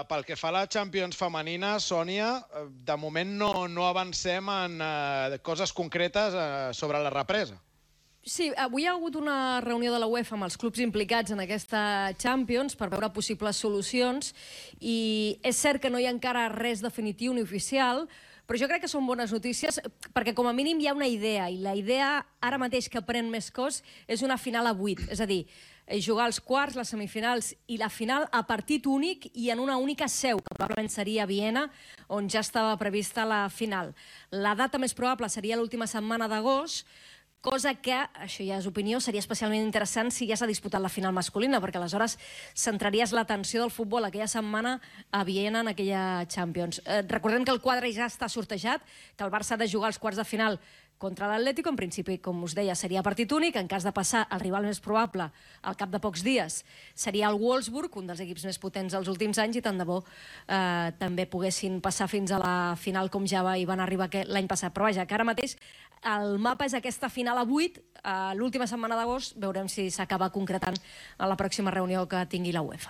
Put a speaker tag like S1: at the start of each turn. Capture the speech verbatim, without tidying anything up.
S1: pel que fa a la Champions femenina, Sònia, de moment no, no avancem en uh, coses concretes uh, sobre la represa.
S2: Sí, avui hi ha hagut una reunió de la UEFA amb els clubs implicats en aquesta Champions per veure possibles solucions i és cert que no hi ha encara res definitiu ni oficial, però jo crec que són bones notícies perquè com a mínim hi ha una idea i la idea ara mateix que pren més cos és una final a vuit, és a dir, jugar els quarts, les semifinals i la final a partit únic i en una única seu, que probablement seria a Viena, on ja estava prevista la final. La data més probable seria l'última setmana d'agost, cosa que, això ja és opinió, seria especialment interessant si ja s'ha disputat la final masculina, perquè aleshores centraries l'atenció del futbol aquella setmana a Viena en aquella Champions. Eh, recordem que el quadre ja està sortejat, que el Barça ha de jugar els quarts de final contra l'Atlético, en principi, com us deia, seria partit únic. En cas de passar, el rival més probable, al cap de pocs dies, seria el Wolfsburg, un dels equips més potents dels últims anys, i tant de bo eh, també poguessin passar fins a la final com ja hi van arribar l'any passat. Però vaja, que ara mateix el mapa és aquesta final a vuit, eh, l'última setmana d'agost, veurem si s'acaba concretant a la pròxima reunió que tingui la UEFA.